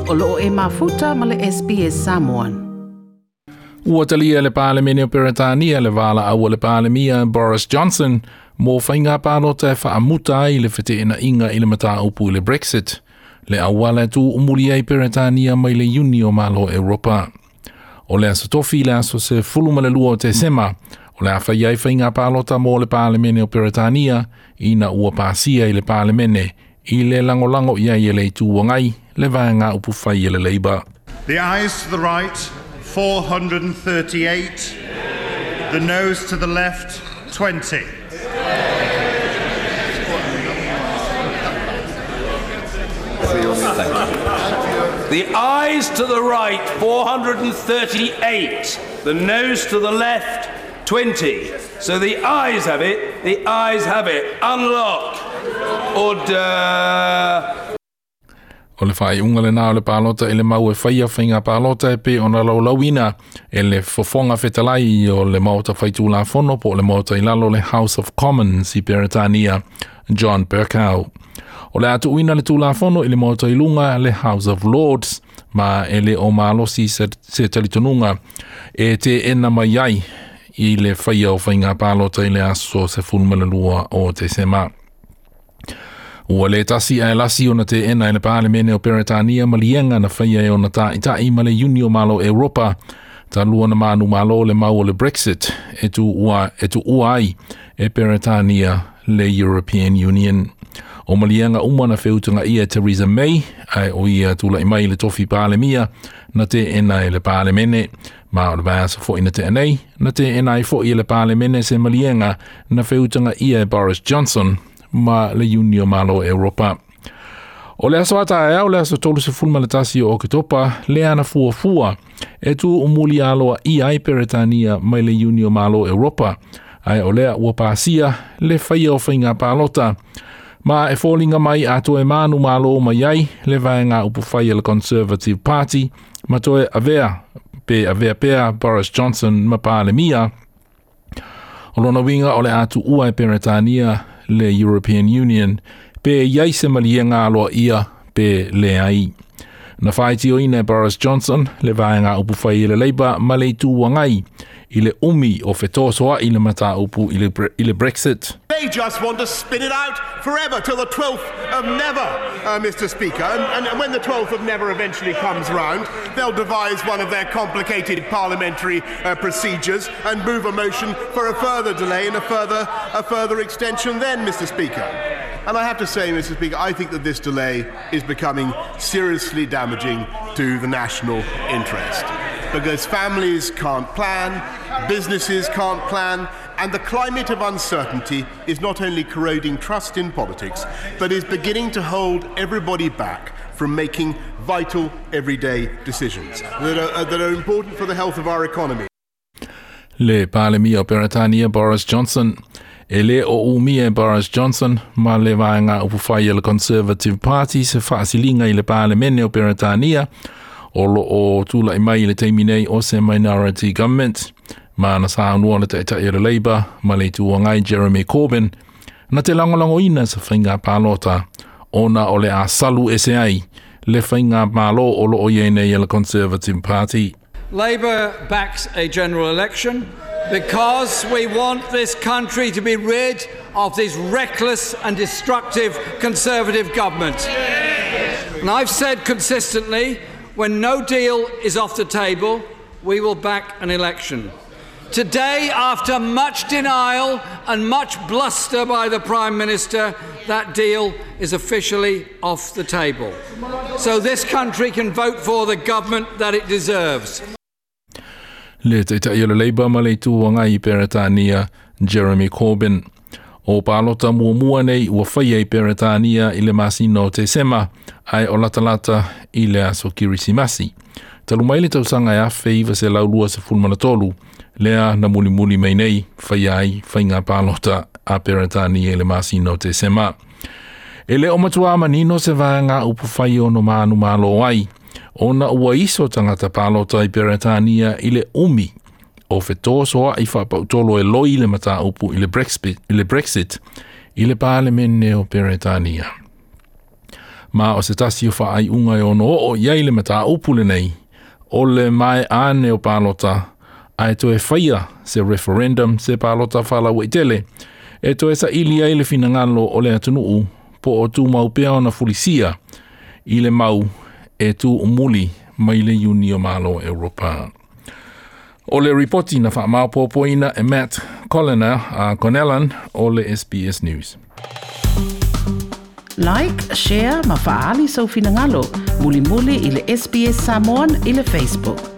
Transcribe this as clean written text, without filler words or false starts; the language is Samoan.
O loo e mafuta ma le SBS Samoan. Ua talia le Palemene o Peretania le valaau a le Palemia Boris Johnson mo faiga palota e faamuta ai le feteenaiga i le mataupu i le Brexit, le auala e tuumuli ai Peretania mai le Iuni o Malo Europa. O le aso tofi le aso 12 o Tesema, o le a fai ai faiga palota mo le Palemene o Peretania ina ua pasia i le Palemene i le lagolago i ai e le Itu Agai le vaega upufai e le Labour. The ayes to the right, 438. The noes to the left, 20. The ayes to the right, 438. The noes to the left, 20. So the ayes have it, the ayes have it. Unlock. Order. O le faaiuga lena o le palota i le mau e faia faiga palota e pei ona laulauina e le Fofoga Fetalai o le Maota Faitulafono po o le Maota i lalo le House of Commons i Peretania, John Bercow. O le a tuuina le Tulafono i le Maota i luga le House of Lords, ma e le o malosi se, se talitonuga e teena mai ai i le faia o faiga palota i le aso 12 o Tesema. Ua le tasi ae lasi ona teena e le Palemene o Peretania maliega na faia e ona ta'ita'i ma le Iuni o Malo Europa talu ona manumalo le mau o le Brexit e tuua e tuua ai e Peretania le European Union. O maliega uma na feutagaia e Theresa May ae o ia tula'i mai i le tofi Palemia na teena e le Palemene. Ma o le vaiaso foi na tea nei, na teena ai foi e le Palemene se maliega na feutagaia e Boris Johnson ma le Iuni o Malo Europa. O le aso a taeao le aso 31 o Oketopa, lea na fuafua e tuumuli aloaia ai Peretania mai le Iuni o Malo Europa, ae o lea ua pasia le faia o faiga palota. Ma e foliga mai a toe manumalo mai ai le vaega upufai a le Conservative Party ma toe avea pe avea pea Boris Johnson ma Palemia. O lona uiga o le a tuua e Peretania le European Union pe i ai se maliega aloaia pe leai. Na faitioina e Boris Johnson le vaega upufai e le Labour ma le Itu Agai i le umi o fetosoa'i le mataupu i le, i le Brexit. They just want to spin it out forever till the 12th of never, Mr. Speaker. And, and when the 12th of never eventually comes round, they'll devise one of their complicated parliamentary procedures and move a motion for a further delay and a further, a further extension then, Mr. Speaker. And I have to say, Mr. Speaker, I think that this delay is becoming seriously damaging to the national interest. Because families can't plan, businesses can't plan, and the climate of uncertainty is not only corroding trust in politics, but is beginning to hold everybody back from making vital everyday decisions that are, that are important for the health of our economy. Le Palemia o Peretania Boris Johnson. E le o umia e Boris Johnson ma le vaega upufai a le Conservative Party se faasiliga i le Palemene o Peretania o loo tula'i mai i le taimi nei o se minority government. Ma na saunoa le Taitai o le Labour ma le Itu Agai Jeremy Corbyn na te lagolagoina se faiga palota ona o le a salu ese ai le faigamalo o loo i ai nei a le Conservative Party. Labour backs a general election because we want this country to be rid of this reckless and destructive Conservative government. And I've said consistently, when no deal is off the table, we will back an election. Today, after much denial and much bluster by the Prime Minister, that deal is officially off the table. So this country can vote for the government that it deserves. Le Taitai o le Labour ma le Itu Agai i Peretania, Jeremy Corbyn. O palota muamua nei ua faia i Peretania i le masina o Tesema, ae o latalata i le aso Kirisimasi. Talu mai le tausaga e 1923, lea na mulimuli mai nei faia ai faiga palota a Peretania i le masina o Tesema. E le o matuā manino se vaega upufai ono manumalo ai, ona ua iso tagata palota i Peretania i le umi o fetosoa'i faapautolo e loi le mataupu i le Brexit, i le Brexit i le Palemene o Peretania. Ma o se tasi o faaiuga e ono oo i ai le mataupu lenei, o le mae'a o palota, ae toe faia se referendum se palota faalauaitele, e toe saili ai le finagalo o le atunuu po o tumau pea ona fulisia i le mau e tuumuli mai le Iuni o Malo Europa. O le ripoti na faamaopoopoina e Matt Colliner, Connellan o le SBS News. Like, share ma faaali sou finagalo. Mulimuli i le SBS Samoan i le Facebook.